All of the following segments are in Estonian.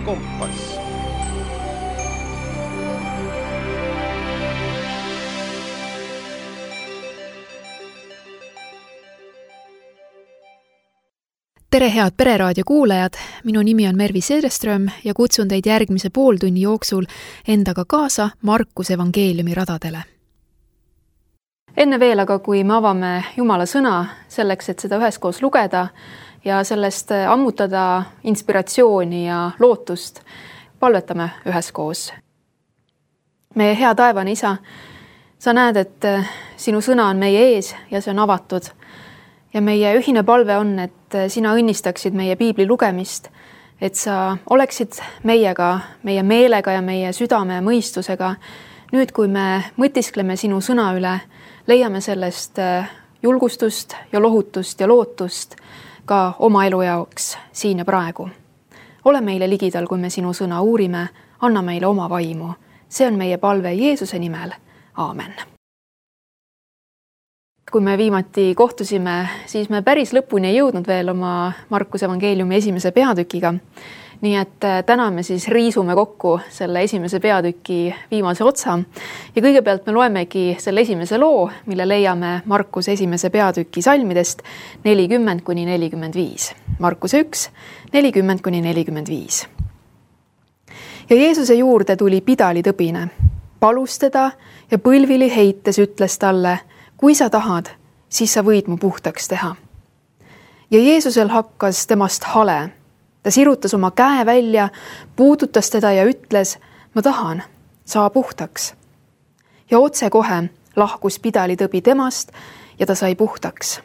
kompass. Tere head Pereraadio kuulajad, minu nimi on Mervi Sedeström ja kutsun teid järgmise pooltunni jooksul endaga kaasa Markuse evangeeliumi radadele. Enne veel aga, kui me avame Jumala sõna selleks, et seda üheskoos lugeda ja sellest ammutada inspiratsiooni ja lootust, palvetame üheskoos. Meie hea taevane Isa, sa näed, et sinu sõna on meie ees ja see on avatud. Ja meie ühine palve on, et sina õnnistaksid meie piibli lugemist, et sa oleksid meiega, meie meelega ja meie südame ja mõistusega. Nüüd, kui me mõtiskleme sinu sõna üle, leiame sellest julgustust ja lohutust ja lootust ka oma elu jaoks siin ja praegu. Ole meile ligidal, kui me sinu sõna uurime, anna meile oma vaimu. See on meie palve Jeesuse nimel. Aamen. Kui me viimati kohtusime, siis me päris lõpuni ei jõudnud veel oma Markuse evangeeliumi esimese peatükiga. Nii et täna me siis riisume kokku selle esimese peatüki viimase otsa. Ja kõigepealt me loemegi selle esimese loo, mille leiame Markuse esimese peatüki salmidest 40-45. Markuse 1, 40-45. Ja Jeesuse juurde tuli pidalitõbine, palus teda ja põlvili heites ütles talle: kui sa tahad, siis sa võid mu puhtaks teha. Ja Jeesusel hakkas temast hale. Ta sirutas oma käe välja, puudutas teda ja ütles: ma tahan, saa puhtaks. Ja otse kohe lahkus pidalitõbi temast ja ta sai puhtaks.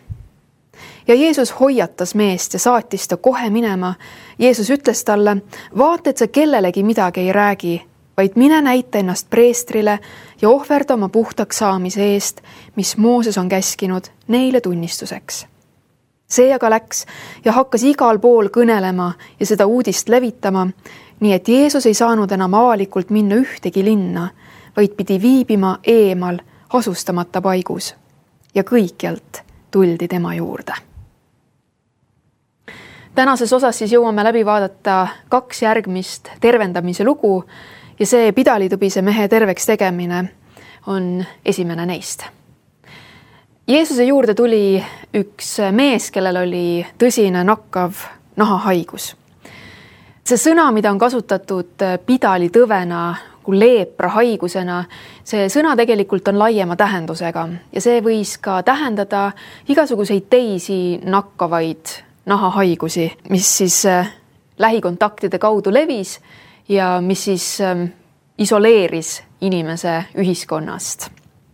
Ja Jeesus hoiatas meest ja saatis ta kohe minema. Jeesus ütles talle: vaata, et sa kellelegi midagi ei räägi, vaid mine näita ennast preestrile ja ohverda oma puhtaks saamise eest, mis Mooses on käskinud neile tunnistuseks. See aga läks ja hakkas igal pool kõnelema ja seda uudist levitama, nii et Jeesus ei saanud enam avalikult minna ühtegi linna, vaid pidi viibima eemal asustamata paigus. Ja kõikjalt tuldi tema juurde. Tänases osas siis jõuame läbi vaadata 2 järgmist tervendamise lugu, ja see pidalitõbise mehe terveks tegemine on esimene neist. Jeesuse juurde tuli üks mees, kellel oli tõsine nakkav nahahaigus. See sõna, mida on kasutatud pidalitõvena kui leeprahaigusena, see sõna tegelikult on laiema tähendusega ja see võis ka tähendada igasuguseid teisi nakkavaid nahahaigusi, mis siis lähikontaktide kaudu levis ja mis siis isoleeris inimese ühiskonnast.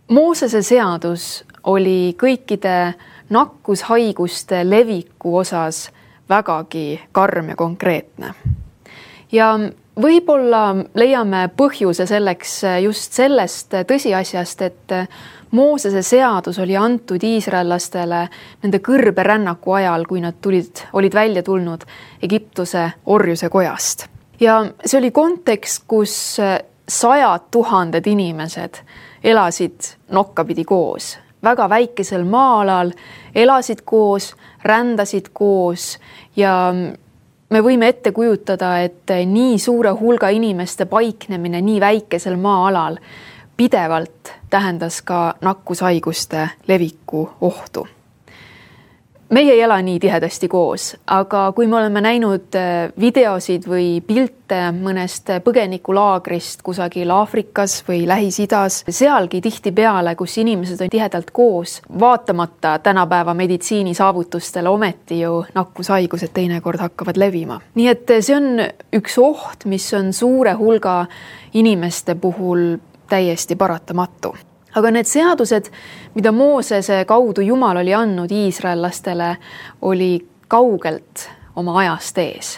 Moosese seadus oli kõikide nakkushaiguste leviku osas vägagi karm ja konkreetne. Ja võib-olla leiame põhjuse selleks just sellest tõsiasjast, et Moosese seadus oli antud iisraellastele nende kõrbe rännaku ajal, kui nad olid välja tulnud Egiptuse orjuse kojast. Ja see oli kontekst, kus 100 000 inimesed elasid nokkapidi koos. Väga väikesel maa-alal elasid koos, rändasid koos ja me võime ette kujutada, et nii suure hulga inimeste paiknemine nii väikesel maa-alal pidevalt tähendas ka nakkushaiguste leviku ohtu. Meie ei ela nii tihedasti koos, aga kui me oleme näinud videosid või pilte mõnest põgenikulaagrist kusagil Aafrikas või Lähis-Idas, sealgi tihtipeale, kus inimesed on tihedalt koos, vaatamata tänapäeva meditsiini saavutustele ometi ju nakkushaigused teinekord hakkavad levima. Nii et see on üks oht, mis on suure hulga inimeste puhul täiesti paratamatu. Aga need seadused, mida Moosese kaudu Jumal oli andnud iisraellastele, oli kaugelt oma ajast ees.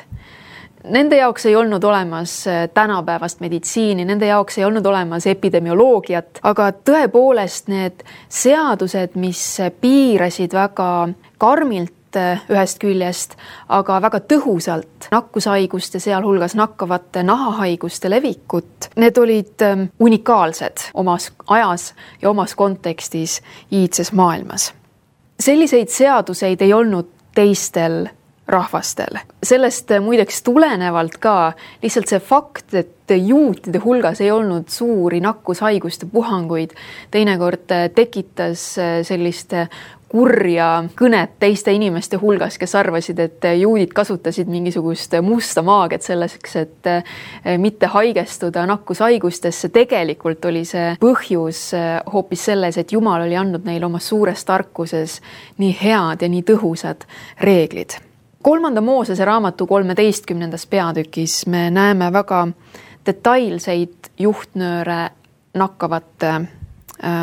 Nende jaoks ei olnud olemas tänapäevast meditsiini, nende jaoks ei olnud olemas epidemioloogiat, aga tõepoolest need seadused, mis piirasid väga karmilt ühest küljest, aga väga tõhusalt nakkushaiguste, sealhulgas nakkavate nahahaiguste levikut. Need olid unikaalsed omas ajas ja omas kontekstis iidses maailmas. Selliseid seaduseid ei olnud teistel rahvastel. Sellest muideks tulenevalt ka lihtsalt see fakt, et juutide hulgas ei olnud suuri nakkushaiguste puhanguid, teinekord tekitas sellist kurja kõnet teiste inimeste hulgas, kes arvasid, et juudid kasutasid mingisugust musta maagiat selleks, et mitte haigestuda nakkushaigustesse. Tegelikult oli see põhjus hoopis selles, et Jumal oli andnud neile oma suures tarkuses nii head ja nii tõhusad reeglid. 3. Moosese raamatu 13. peatükis me näeme väga detailseid juhtnööre nakkavate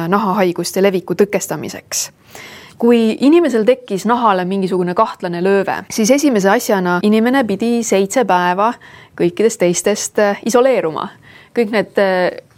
nahahaiguste leviku tõkestamiseks. Kui inimesel tekkis nahale mingisugune kahtlane lööve, siis esimese asjana inimene pidi 7 päeva kõikidest teistest isoleeruma. Kõik need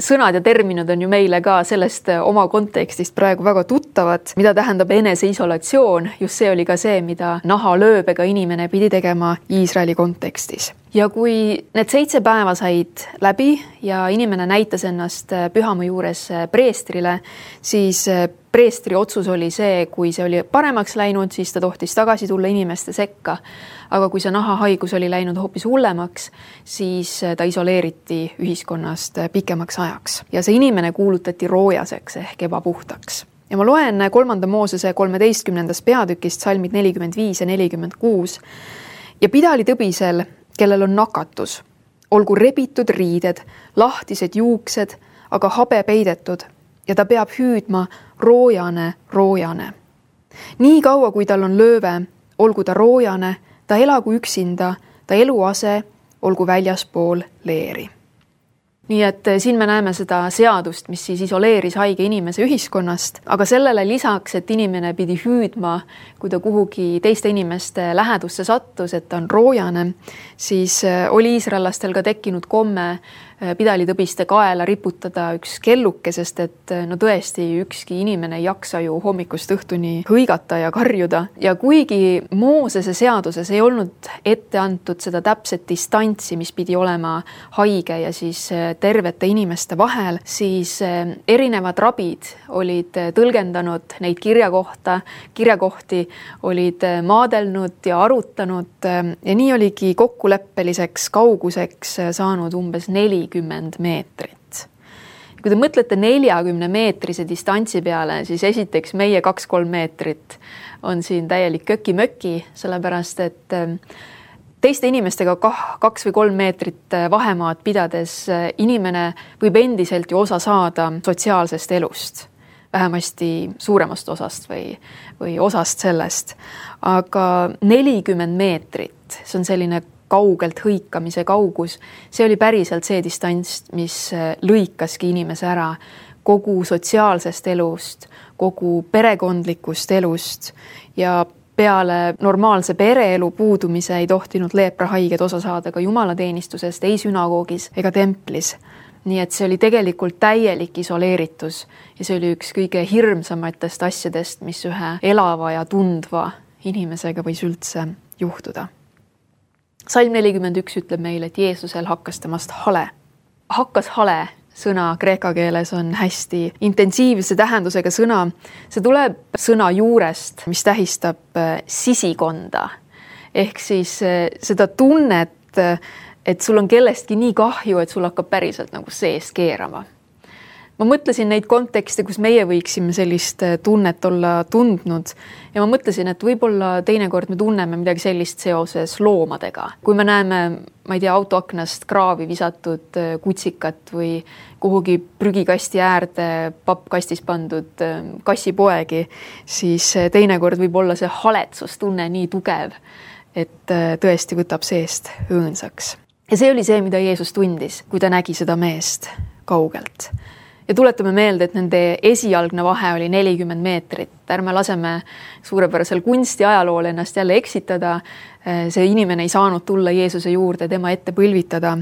sõnad ja terminid on ju meile ka sellest oma kontekstist praegu väga tuttavad, mida tähendab eneseisolatsioon. Just see oli ka see, mida nahalööbega inimene pidi tegema Iisraeli kontekstis. Ja kui need 7 päeva said läbi ja inimene näitas ennast pühamu juures preestrile, siis preestri otsus oli see, kui see oli paremaks läinud, siis ta tohtis tagasi tulla inimeste sekka. Aga kui see nahahaigus oli läinud hoopis hullemaks, siis ta isoleeriti ühiskonnast pikemaks ajaks. Ja see inimene kuulutati roojaseks ehk ebapuhtaks. Ja ma loen 3. Moosese 13. peatükist salmid 45 ja 46. Ja pidali tõbisel, kellel on nakatus, olgu rebitud riided, lahtised juuksed, aga habe peidetud ja ta peab hüüdma roojane. Nii kaua, kui tal on lööve, olgu ta roojane, ta elagu üksinda, ta eluase olgu väljaspool leeri. Nii et siin me näeme seda seadust, mis siis isoleeris haige inimese ühiskonnast, aga sellele lisaks, et inimene pidi hüüdma, kui ta kuhugi teiste inimeste lähedusse sattus, et ta on roojane, siis oli iisraellastel ka tekkinud komme pidalitõbiste kaela riputada üks kelluke, sest et no tõesti ükski inimene ei jaksa ju hommikust õhtuni hõigata ja karjuda. Ja kuigi Moosese seaduses ei olnud ette antud seda täpset distantsi, mis pidi olema haige ja siis tervete inimeste vahel, siis erinevad rabid olid tõlgendanud neid kirjakohti, olid maadelnud ja arutanud ja nii oligi kokkuleppeliseks kauguseks saanud umbes 40 meetrit. Kui te mõtlete 40-meetrise distantsi peale, siis esiteks meie 2-3 meetrit on siin täielik köki-möki, sellepärast et teiste inimestega 2 või 3 meetrit vahemaad pidades inimene võib endiselt ju osa saada sotsiaalsest elust, vähemasti suuremast osast või osast sellest. Aga 40 meetrit, see on selline kaugelt hõikamise kaugus, see oli päriselt see distants, mis lõikaski inimese ära kogu sotsiaalsest elust, kogu perekondlikust elust ja peale normaalse pereelu puudumise ei tohtinud leeprahaiged osa saada ka jumalateenistusest, ei sünagoogis ega templis. Nii et see oli tegelikult täielik isoleeritus ja see oli üks kõige hirmsamatest asjadest, mis ühe elava ja tundva inimesega võis üldse juhtuda. Salm 41 ütleb meile, et Jeesusel hakkas temast hale. Hakkas hale sõna kreeka keeles on hästi intensiivse tähendusega sõna. See tuleb sõna juurest, mis tähistab sisikonda. Ehk siis seda tunnet, et sul on kellestki nii kahju, et sul hakkab päriselt nagu seest keerama. Ma mõtlesin neid kontekste, kus meie võiksime sellist tunnet olla tundnud ja ma mõtlesin, et võib-olla teinekord me tunneme midagi sellist seoses loomadega. Kui me näeme, ma ei tea, autoaknast kraavi visatud kutsikat või kuhugi prügikasti äärde pappkastis pandud kassipoegi, siis teinekord võib olla see haletsustunne nii tugev, et tõesti võtab seest õõnsaks. Ja see oli see, mida Jeesus tundis, kui ta nägi seda meest kaugelt. Ja tuletame meelde, et nende esialgne vahe oli 40 meetrit. Ärme laseme suurepärasel kunstiajalool ennast jälle eksitada. See inimene ei saanud tulla Jeesuse juurde, tema ette põlvitada.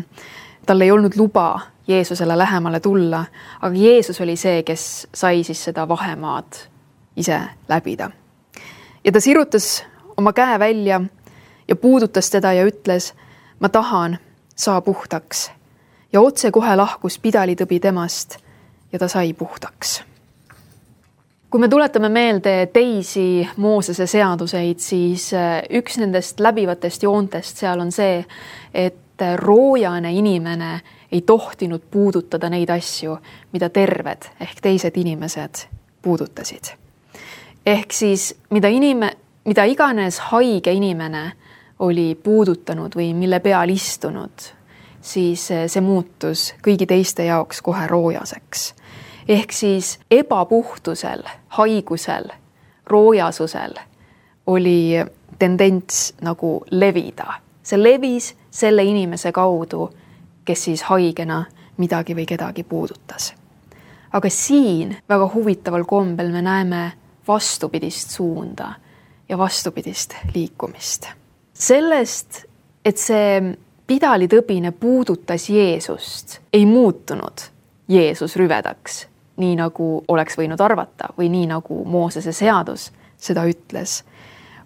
Tal ei olnud luba Jeesusele lähemale tulla, aga Jeesus oli see, kes sai siis seda vahemaad ise läbida. Ja ta sirutas oma käe välja ja puudutas teda ja ütles, ma tahan, saa puhtaks. Ja otse kohe lahkus pidalitõbi temast ja ta sai puhtaks. Kui me tuletame meelde teisi Moosese seaduseid, siis üks nendest läbivatest joontest seal on see, et roojane inimene ei tohtinud puudutada neid asju, mida terved ehk teised inimesed puudutasid. Ehk siis mida iganes haige inimene oli puudutanud või mille peal istunud, siis see muutus kõigi teiste jaoks kohe roojaseks. Ehk siis ebapuhtusel, haigusel, roojasusel oli tendents nagu levida. See levis selle inimese kaudu, kes siis haigena midagi või kedagi puudutas. Aga siin väga huvitaval kombel me näeme vastupidist suunda ja vastupidist liikumist. Sellest, et see pidalitõbine puudutas Jeesust, ei muutunud Jeesus rüvedaks, nii nagu oleks võinud arvata või nii nagu Moosese seadus seda ütles.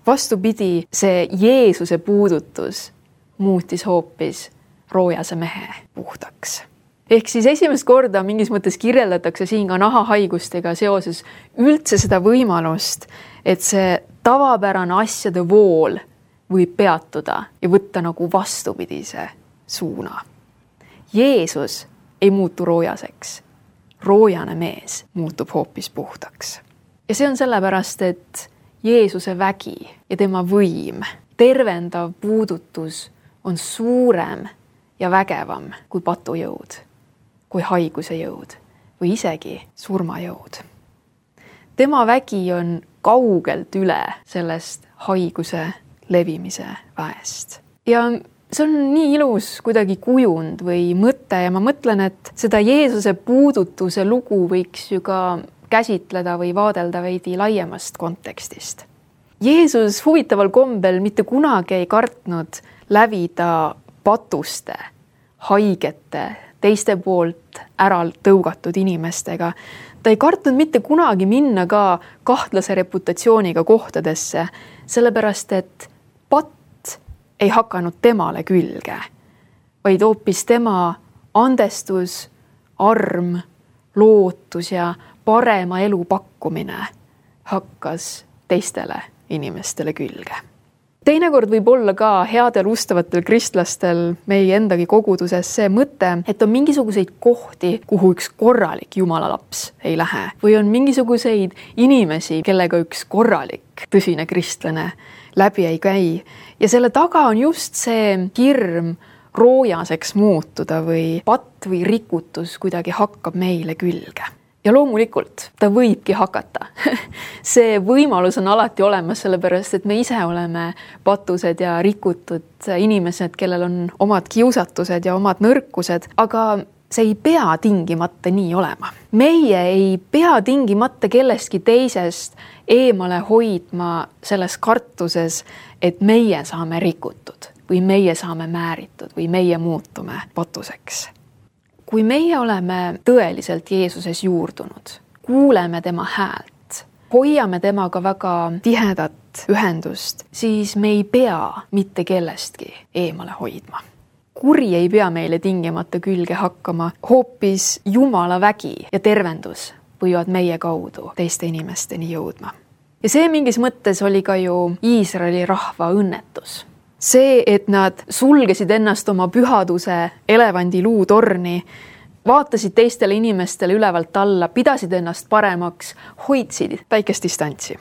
Vastupidi, see Jeesuse puudutus muutis hoopis roojase mehe puhtaks. Ehk siis esimest korda mingis mõttes kirjeldatakse siin ka nahahaigustega seoses üldse seda võimalust, et see tavapärane asjade vool võib peatuda ja võtta nagu vastupidise suuna. Jeesus ei muutu roojaseks. Roojane mees muutub hoopis puhtaks. Ja see on sellepärast, et Jeesuse vägi ja tema võim, tervendav puudutus on suurem ja vägevam kui patujõud, kui haiguse jõud või isegi surmajõud. Tema vägi on kaugelt üle sellest haiguse levimise väest. Ja see on nii ilus kuidagi kujund või mõte ja ma mõtlen, et seda Jeesuse puudutuse lugu võiks ju ka käsitleda või vaadelda veidi laiemast kontekstist. Jeesus huvitaval kombel mitte kunagi ei kartnud lävida patuste, haigete, teiste poolt ära tõugatud inimestega. Ta ei kartnud mitte kunagi minna ka kahtlase reputatsiooniga kohtadesse, sellepärast et patt ei hakanud temale külge, vaid hoopis tema andestus, arm, lootus ja parema elu pakkumine hakkas teistele inimestele külge. Teinekord võib olla ka headel ustavatel kristlastel meie endagi koguduses see mõte, et on mingisuguseid kohti, kuhu üks korralik Jumala laps ei lähe. Või on mingisuguseid inimesi, kellega üks korralik tõsine kristlane läbi ei käi. Ja selle taga on just see hirm roojaseks muutuda või patt või rikutus kuidagi hakkab meile külge. Ja loomulikult ta võibki hakata. See võimalus on alati olemas, sellepärast et me ise oleme patused ja rikutud inimesed, kellel on omad kiusatused ja omad nõrkused, aga see ei pea tingimata nii olema. Meie ei pea tingimata kellestki teisest eemale hoidma selles kartuses, et meie saame rikutud või meie saame määritud või meie muutume patuseks. Kui meie oleme tõeliselt Jeesuses juurdunud, kuuleme tema häält, hoiame temaga väga tihedat ühendust, siis me ei pea mitte kellestki eemale hoidma. Kuri ei pea meile tingimata külge hakkama, hoopis Jumala vägi ja tervendus võivad meie kaudu teiste inimesteni jõudma. Ja see mingis mõttes oli ka ju Iisraeli rahva õnnetus. See, et nad sulgesid ennast oma pühaduse elevandi luutorni, vaatasid teistele inimestele ülevalt alla, pidasid ennast paremaks, hoidsid väikest distantsi.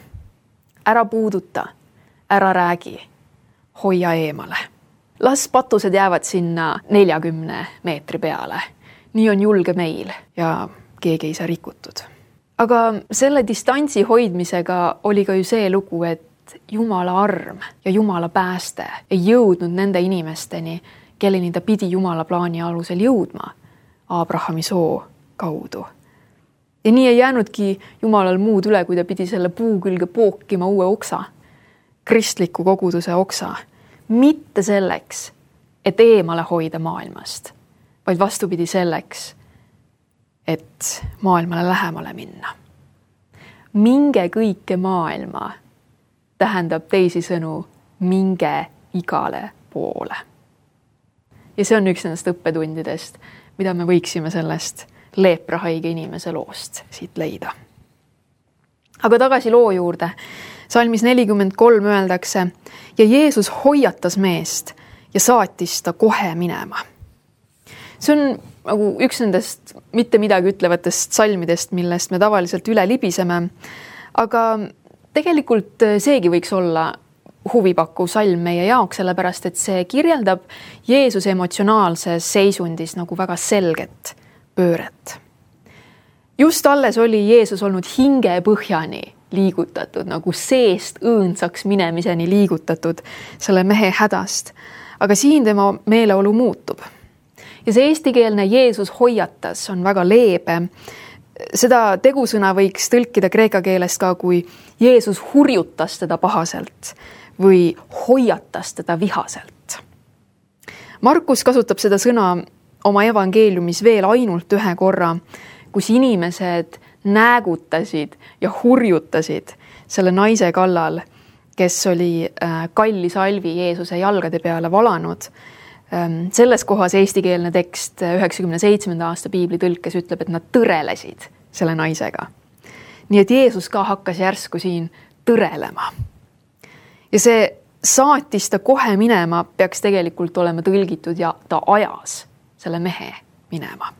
Ära puuduta, ära räägi, hoia eemale. Las patused jäävad sinna 40 meetri peale. Nii on julge meil ja keegi ei saa rikutud. Aga selle distantsi hoidmisega oli ka ju see lugu, et Jumala arm ja Jumala pääste ei jõudnud nende inimesteni, kelleni ta pidi Jumala plaani alusel jõudma Abrahami soo kaudu. Ja nii ei jäänudki Jumalal muud üle, kui ta pidi selle puu külge pookima uue oksa, kristliku koguduse oksa, mitte selleks, et eemale hoida maailmast, vaid vastupidi selleks, et maailmale lähemale minna. Minge kõike maailma tähendab teisisõnu minge igale poole. Ja see on üks nendest õppetundidest, mida me võiksime sellest leeprahaige inimese loost siit leida. Aga tagasi loo juurde. Salmis 43 öeldakse, ja Jeesus hoiatas meest ja saatis ta kohe minema. See on nagu üks nendest mitte midagi ütlevatest salmidest, millest me tavaliselt üle libiseme, aga tegelikult seegi võiks olla huvipakkuv salm meie jaoks, sellepärast et see kirjeldab Jeesuse emotsionaalses seisundis nagu väga selget pööret. Just alles oli Jeesus olnud hingepõhjani liigutatud, nagu seest õõnsaks minemiseni liigutatud selle mehe hädast. Aga siin tema meeleolu muutub. Ja see eestikeelne Jeesus hoiatas on väga leebe. Seda tegusõna võiks tõlkida kreeka keelest ka, kui Jeesus hurjutas teda pahaselt või hoiatas teda vihaselt. Markus kasutab seda sõna oma evangeeliumis veel ainult ühe korra, kus inimesed näägutasid ja hurjutasid selle naise kallal, kes oli kalli salvi Jeesuse jalgade peale valanud. Selles kohas eestikeelne tekst 97. aasta piibli tõlkes ütleb, et nad tõrelesid selle naisega. Nii et Jeesus ka hakkas järsku siin tõrelema. Ja see saatis ta kohe minema peaks tegelikult olema tõlgitud ja ta ajas selle mehe minema.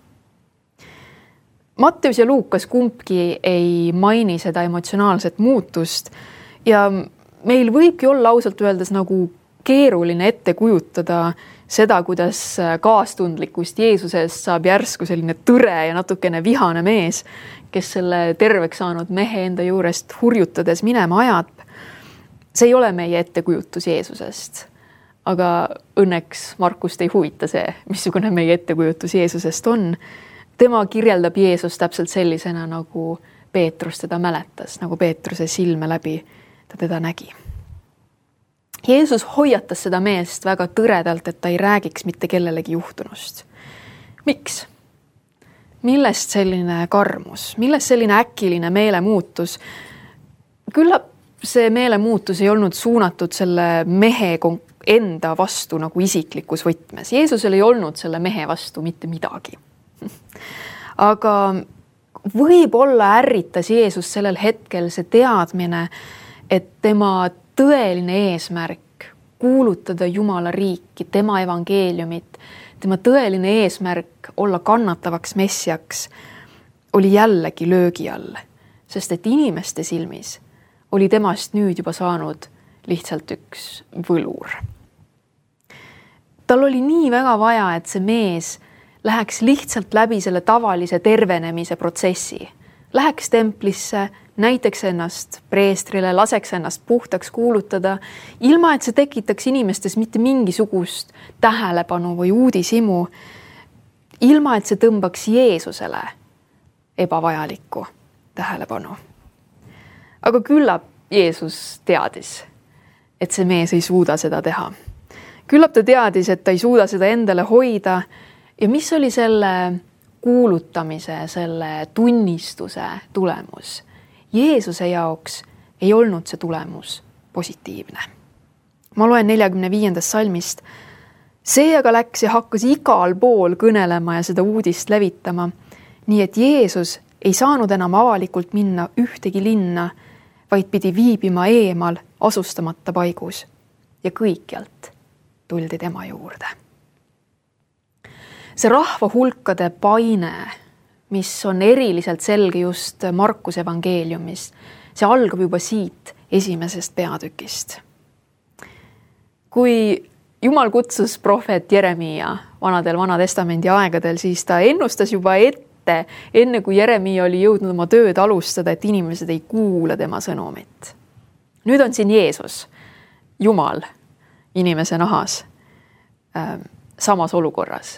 Matteus ja Luukas kumbki ei maini seda emotsionaalset muutust ja meil võibki olla ausalt öeldes nagu keeruline ette kujutada seda, kuidas kaastundlikust Jeesusest saab järsku selline tõre ja natukene vihane mees, kes selle terveks saanud mehe enda juurest hurjutades minema ajab. See ei ole meie ettekujutus Jeesusest, aga õnneks Markust ei huvita see, missugune meie ettekujutus Jeesusest on. Tema kirjeldab Jeesus täpselt sellisena, nagu Peetrus teda mäletas, nagu Peetruse silme läbi ta teda nägi. Jeesus hoiatas seda meest väga tõredalt, et ta ei räägiks mitte kellelegi juhtunust. Miks? Millest selline karmus? Millest selline äkiline meelemuutus? Küllap see meelemuutus ei olnud suunatud selle mehe enda vastu nagu isiklikus võtmes. Jeesusel ei olnud selle mehe vastu mitte midagi. Aga võib-olla ärritas Jeesus sellel hetkel see teadmine, et tema tõeline eesmärk kuulutada Jumala riiki, tema evangeeliumit, tema tõeline eesmärk olla kannatavaks messiaks oli jällegi löögi all, sest et inimeste silmis oli temast nüüd juba saanud lihtsalt üks võlur. Tal oli nii väga vaja, et see mees läheks lihtsalt läbi selle tavalise tervenemise protsessi. Läheks templisse, näiteks ennast preestrile, laseks ennast puhtaks kuulutada, ilma et see tekitaks inimestes mitte mingisugust tähelepanu või uudishimu, ilma et see tõmbaks Jeesusele ebavajalikku tähelepanu. Aga küllap Jeesus teadis, et see mees ei suuda seda teha. Küllap ta teadis, et ta ei suuda seda endale hoida ja mis oli selle kuulutamise, selle tunnistuse tulemus. Jeesuse jaoks ei olnud see tulemus positiivne. Ma loen 45. salmist. See aga läks ja hakkas igal pool kõnelema ja seda uudist levitama, nii et Jeesus ei saanud enam avalikult minna ühtegi linna, vaid pidi viibima eemal asustamata paigus ja kõikjalt tuldi tema juurde. See rahva hulkade paine, mis on eriliselt selge just Markuse evangeeliumis, see algab juba siit esimesest peatükist. Kui Jumal kutsus prohvet Jeremia Vana Testamendi aegadel, siis ta ennustas juba enne kui Jeremia oli jõudnud oma tööd alustada, et inimesed ei kuula tema sõnumit. Nüüd on siin Jeesus, Jumal, inimese nahas, samas olukorras,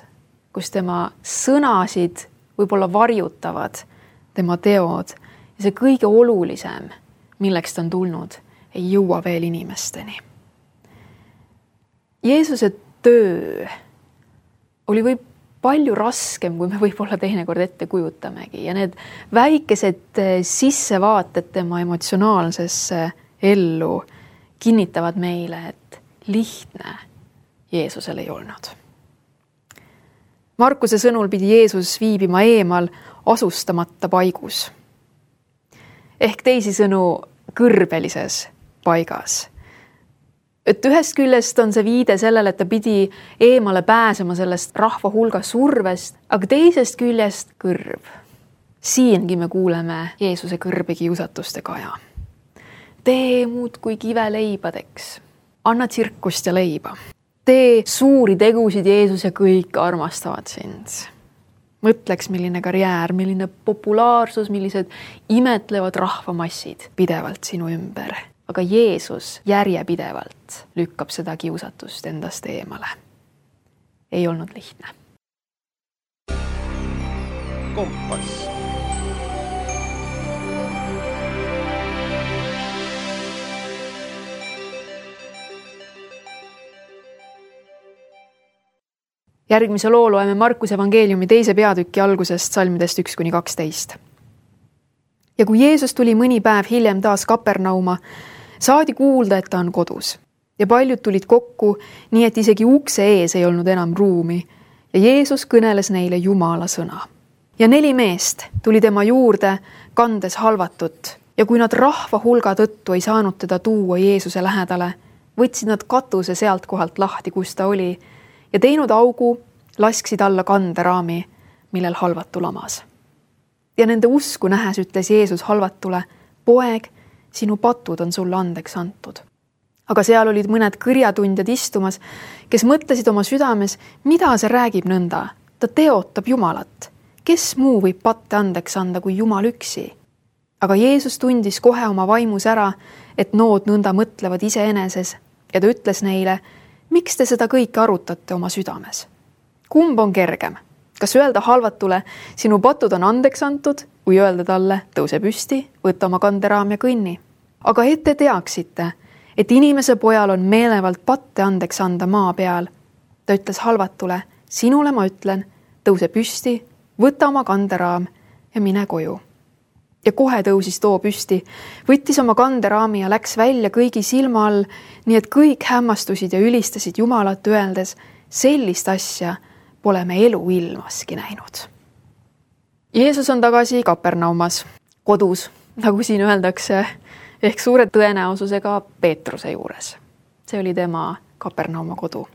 kus tema sõnasid võib-olla varjutavad tema teod ja see kõige olulisem, milleks ta on tulnud, ei jõua veel inimesteni. Jeesuse töö oli palju raskem, kui me võib-olla teinekord ette kujutamegi ja need väikesed sissevaated tema emotsionaalsesse ellu kinnitavad meile, et lihtne Jeesusel ei olnud. Markuse sõnul pidi Jeesus viibima eemal asustamata paigus. ehk teisisõnu kõrbelises paigas. Et ühest küljest on see viide sellele, et ta pidi eemale pääsema sellest rahva hulga survest, aga teisest küljest kõrb. Siingi me kuuleme Jeesuse kõrbekiusatuste kaja. Tee muudkui kive leibadeks, anna tsirkust ja leiba. Tee suuri tegusid, Jeesus, ja kõik armastavad sind. Mõtleks, milline karjäär, milline populaarsus, millised imetlevad rahvamassid pidevalt sinu ümber. Aga Jeesus järjepidevalt lükkab seda kiusatust endast eemale. Ei olnud lihtne. Kompass. Järgmise loo loeme Markuse evangeeliumi 2. peatüki algusest salmidest 1-12. Ja kui Jeesus tuli mõni päev hiljem taas Kapernauma, saadi kuulda, et ta on kodus. Ja paljud tulid kokku, nii et isegi ukse ees ei olnud enam ruumi. Ja Jeesus kõneles neile Jumala sõna. Ja 4 meest tuli tema juurde, kandes halvatut. Ja kui nad rahva hulga tõttu ei saanud teda tuua Jeesuse lähedale, võtsid nad katuse sealt kohalt lahti, kus ta oli, ja teinud augu, lasksid alla kanderaami, millel halvatu lamas. Ja nende usku nähes ütles Jeesus halvatule, poeg, sinu patud on sulle andeks antud. Aga seal olid mõned kõrjatundjad istumas, kes mõtlesid oma südames, mida see räägib nõnda. Ta teotab Jumalat. Kes muu võib patte andeks anda kui Jumal üksi? Aga Jeesus tundis kohe oma vaimus ära, et nood nõnda mõtlevad iseeneses, ja ta ütles neile, miks te seda kõike arutate oma südames? Kumb on kergem? Kas öelda halvatule, sinu patud on andeks antud, või öelda talle, tõuse püsti, võta oma kanderaam ja kõnni? Aga et te teaksite, et inimese pojal on meelevalt patte andeks anda maa peal. Ta ütles halvatule, sinule ma ütlen, tõuse püsti, võta oma kanderaam ja mine koju. Ja kohe tõusis too püsti, võttis oma kanderaami ja läks välja kõigi silma all, nii et kõik hämmastusid ja ülistasid Jumalat öeldes, sellist asja pole me elu ilmaski näinud. Jeesus on tagasi Kapernaumas, kodus, nagu siin öeldakse, ehk suure tõenäosusega Peetruse juures. See oli tema Kapernauma kodu.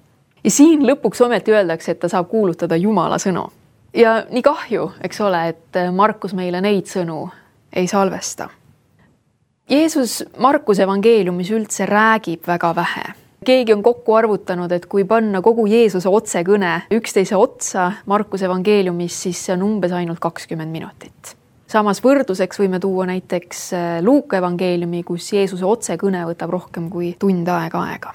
Ja siin lõpuks ometi öeldakse, et ta saab kuulutada Jumala sõnu. Ja nii kahju, eks ole, et Markus meile neid sõnu ei salvesta. Jeesus Markuse evangeeliumis üldse räägib väga vähe. Keegi on kokku arvutanud, et kui panna kogu Jeesuse otsekõne üksteise otsa Markuse evangeeliumis, siis see on umbes ainult 20 minutit. Samas võrdluseks võime tuua näiteks Luuka evangeeliumi, kus Jeesuse otsekõne võtab rohkem kui tund aega.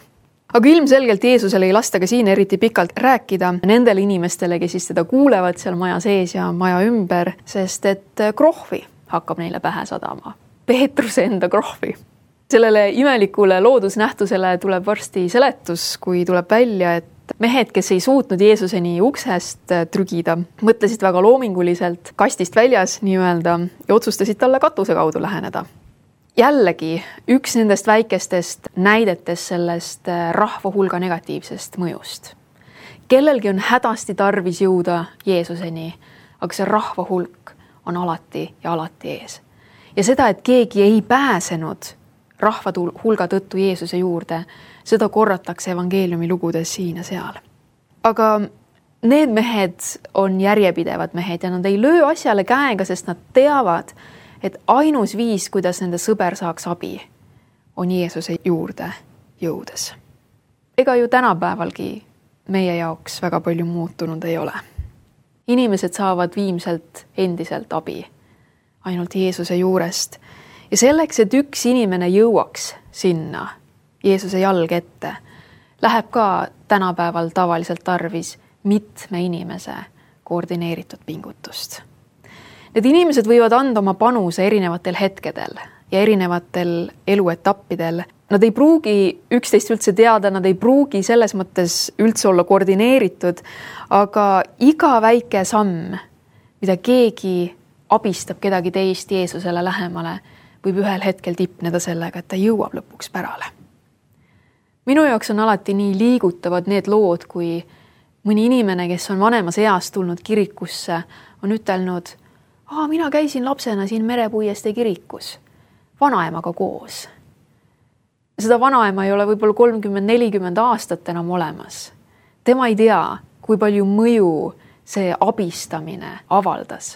Aga ilmselgelt Jeesusele ei lasta ka siin eriti pikalt rääkida nendele inimestele, kes siis teda kuulevad seal maja sees ja maja ümber, sest et krohvi hakkab neile pähe sadama. Peetruse enda krohvi. Sellele imelikule loodusnähtusele tuleb varsti seletus, kui tuleb välja, et mehed, kes ei suutnud Jeesuseni uksest trügida, mõtlesid väga loominguliselt kastist väljas nii-öelda ja otsustasid talle katuse kaudu läheneda. Jällegi üks nendest väikestest näidetest sellest rahva hulga negatiivsest mõjust. Kellelgi on hädasti tarvis jõuda Jeesuseni, aga see rahva hulk on alati ja alati ees. Ja seda, et keegi ei pääsenud rahva hulga tõttu Jeesuse juurde, seda korratakse evangeeliumi lugudes siin ja seal. Aga need mehed on järjepidevad mehed ja nad ei löö asjale käega, sest nad teavad, et ainus viis, kuidas nende sõber saaks abi, on Jeesuse juurde jõudes. Ega ju tänapäevalgi meie jaoks väga palju muutunud ei ole. Inimesed saavad viimselt endiselt abi ainult Jeesuse juurest. Ja selleks, et üks inimene jõuaks sinna Jeesuse jalg ette, läheb ka tänapäeval tavaliselt tarvis mitme inimese koordineeritud pingutust. Need inimesed võivad anda oma panuse erinevatel hetkedel ja erinevatel eluetappidel. Nad ei pruugi üksteist üldse teada, nad ei pruugi selles mõttes üldse olla koordineeritud, aga iga väike samm, mida keegi abistab kedagi teist Jeesusele lähemale, võib ühel hetkel tipneda sellega, et ta jõuab lõpuks pärale. Minu jaoks on alati nii liigutavad need lood, kui mõni inimene, kes on vanemas eas tulnud kirikusse, on ütelnud, mina käisin lapsena siin Merepuiestee kirikus vanaemaga koos. Seda vanaema ei ole võib-olla 30-40 aastat enam olemas. Tema ei tea, kui palju mõju see abistamine avaldas.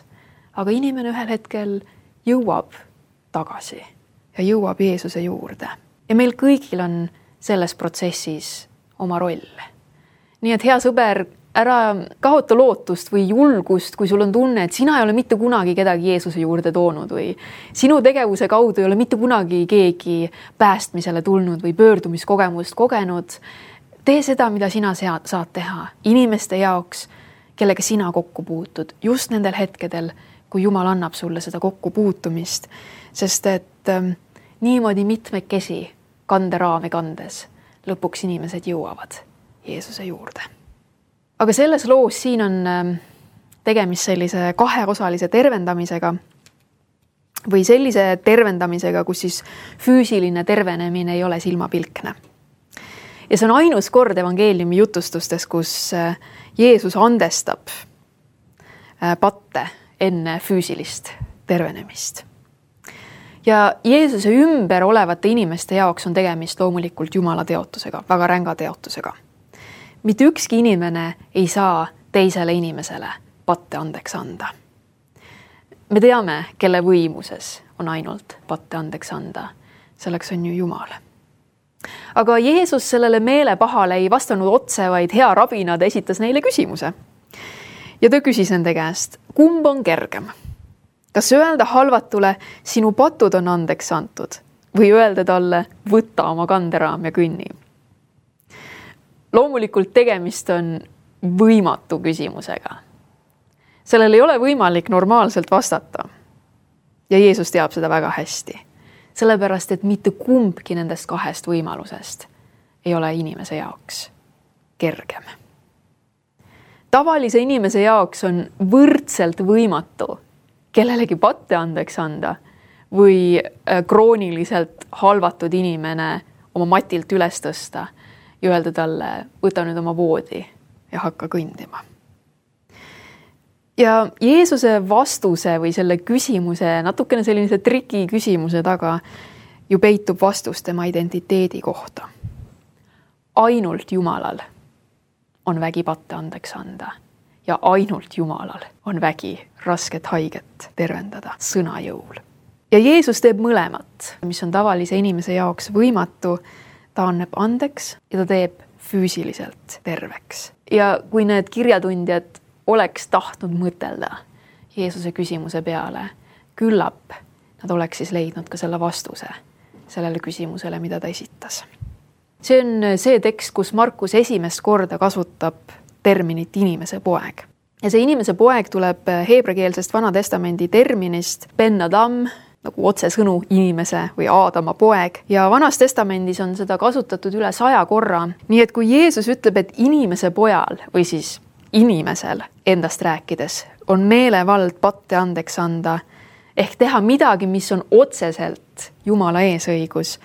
Aga inimene ühel hetkel jõuab tagasi ja jõuab Jeesuse juurde. Ja meil kõigil on selles protsessis oma roll. Nii et hea sõber, ära kaota lootust või julgust, kui sul on tunne, et sina ei ole mitte kunagi kedagi Jeesuse juurde toonud või sinu tegevuse kaudu ei ole mitte kunagi keegi päästmisele tulnud või pöördumiskogemust kogenud. Tee seda, mida sina saad teha inimeste jaoks, kellega sina kokku puutud just nendel hetkedel, kui Jumal annab sulle seda kokkupuutumist, sest et niimoodi mitmekesi kanderaami kandes lõpuks inimesed jõuavad Jeesuse juurde. Aga selles loos siin on tegemist sellise kaheosalise tervendamisega või sellise tervendamisega, kus siis füüsiline tervenemine ei ole silmapilkne. Ja see on ainus kord evangeeliumi jutustustes, kus Jeesus andestab patte enne füüsilist tervenemist. Ja Jeesuse ümber olevate inimeste jaoks on tegemist loomulikult Jumala teotusega, väga ränga teotusega. Mitte ükski inimene ei saa teisele inimesele patte andeks anda. Me teame, kelle võimuses on ainult patte andeks anda. Selleks on ju Jumal. Aga Jeesus sellele meelepahale ei vastanud otse, vaid hea rabina ta esitas neile küsimuse. Ja ta küsis nende käest, kumb on kergem? Kas öelda halvatule, sinu patud on andeks antud või öelda talle, võta oma kanderaam ja kõnni? Loomulikult tegemist on võimatu küsimusega. Sellel ei ole võimalik normaalselt vastata. Ja Jeesus teab seda väga hästi. Sellepärast, et mitte kumbki nendest kahest võimalusest ei ole inimese jaoks kergem. Tavalise inimese jaoks on võrdselt võimatu kellelegi patte andeks anda või krooniliselt halvatud inimene oma matilt üles tõsta ja öelda talle, võta nüüd oma voodi ja hakka kõndima. Ja Jeesuse vastuse või selle küsimuse, natukene sellise triki küsimuse taga ju peitub vastus tema identiteedi kohta. Ainult Jumalal on vägi patte andeks anda ja ainult Jumalal on vägi rasket haiget tervendada sõna jõul. Ja Jeesus teeb mõlemat, mis on tavalise inimese jaoks võimatu, ta annab andeks ja ta teeb füüsiliselt terveks. Ja kui need kirjatundjad oleks tahtnud mõtelda Jeesuse küsimuse peale, küllap nad oleks siis leidnud ka selle vastuse sellele küsimusele, mida ta esitas. See on see tekst, kus Markus esimest korda kasutab terminit inimese poeg. Ja see inimese poeg tuleb heebrekeelsest Vana Testamendi terminist Ben Adam, nagu otsesõnu inimese või Aadama poeg. Ja Vanas Testamendis on seda kasutatud üle 100 korra. Nii et kui Jeesus ütleb, et inimese pojal või siis inimesel endast rääkides on meelevald patte andeks anda, ehk teha midagi, mis on otseselt Jumala eesõigus,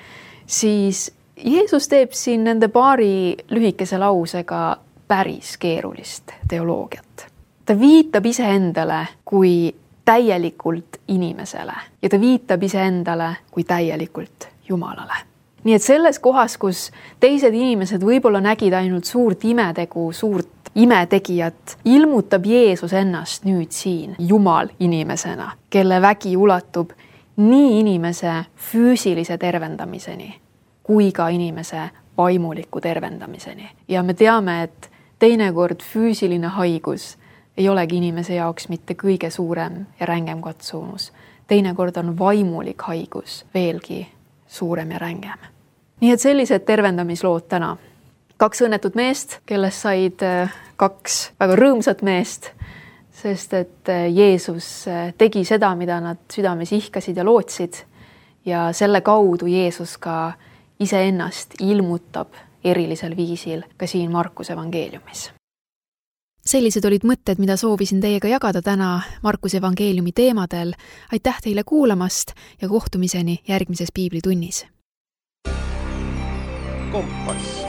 siis Jeesus teeb siin nende paari lühikese lausega päris keerulist teoloogiat. Ta viitab iseendale kui täielikult inimesele ja ta viitab iseendale kui täielikult Jumalale. Nii et selles kohas, kus teised inimesed võib-olla nägid ainult suurt imetegu, suurt imetegijat, ilmutab Jeesus ennast nüüd siin Jumal inimesena, kelle vägi ulatub nii inimese füüsilise tervendamiseni kui ka inimese vaimuliku tervendamiseni. Ja me teame, et teinekord füüsiline haigus ei olegi inimese jaoks mitte kõige suurem ja rängem katsumus. Teinekord on vaimulik haigus veelgi suurem ja rängem. Nii et sellised tervendamislood täna. 2 õnnetut meest, kellest said 2 väga rõõmsat meest, sest et Jeesus tegi seda, mida nad südames ihkasid ja lootsid ja selle kaudu Jeesus ka iseennast ilmutab erilisel viisil ka siin Markuse evangeeliumis. Sellised olid mõtted, mida soovisin teiega jagada täna Markuse evangeeliumi teemadel. Aitäh teile kuulamast ja kohtumiseni järgmises piiblitunnis. Kompass.